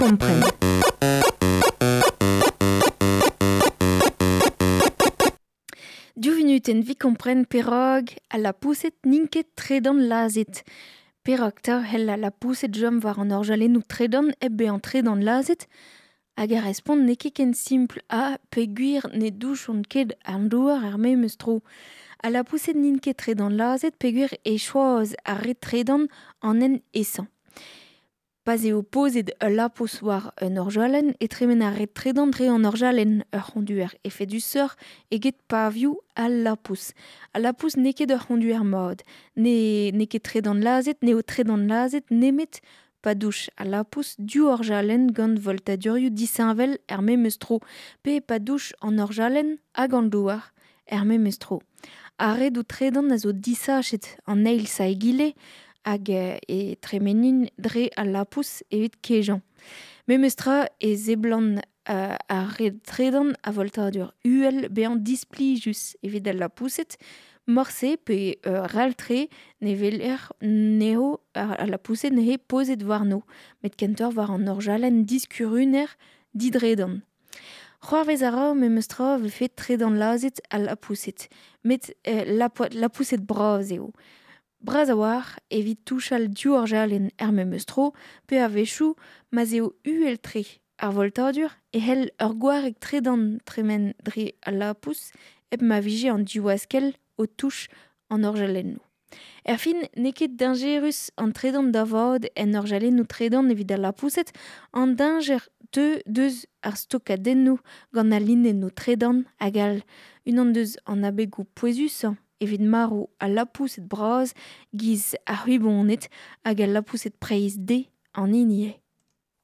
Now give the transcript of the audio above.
kompren. Div vunutenn 'vit kompren perak al lapoused n'int ket tredan lazhet. Perak 'ta c'hell al lapoused chom war an orjalennoù tredan hep bezañ tredan lazhet? Hag ar respont n'eo ket ken simpl ha peogwir ne douchont ket an douar er memes tro. Al lapoused n'int ket tredan lazhet peogwir e choaz ar re tredan an hent aesañ. Pa'z eo pozet ul lapous war un orjalenn e tremen ar red tredan dre an orjalenn, ur c'honduer efedusoc'h eget pavioù al lapous. Al lapous n'eo ket ur c'honduer mat. Ne n'eo ket tredan lazhet, n'eo tredan lazhet nemet pa douch al lapous div orjalenn gant voltadurioù disheñvel er memes tro, pe pa douch an orjalenn hag an douar er memes tro. Ar redoù tredan a zo disachet an eil sa egile hag e tremenin dre al lapous evit kejañ. Memes tra e seblant ar red tredan a voltadur uhel bezañ displijus evit al lapoused, morse pe ral-tre ne weler anezho al lapoused neuze pozet warno, met kentoc'h war an orjalenn diskuruner didredan. C'hoarvez a ra memes tra vefe tredan lazhet al lapoused, met lapoused bras eo. Bras a-walc'h evit touchal div orjalenn er memes tro pe a-wechoù ma'z eo uhel-tre ar voltadur e c'hell ur gwareg tredan tremen dre al lapous hep ma vije an divaskell o touch an orjalennoù. Erfin, n'eo ket dañjerus an tredan da vat en orjalennoù tredan evit al lapoused, an dañjer teu deus ar stokadennoù gant al linennoù tredan hag all. Unan deus an abegoù pouezusañ evit marv al lapoused bras giz ar c'hwiboned hag al lapoused preizh dezhe an hini eo.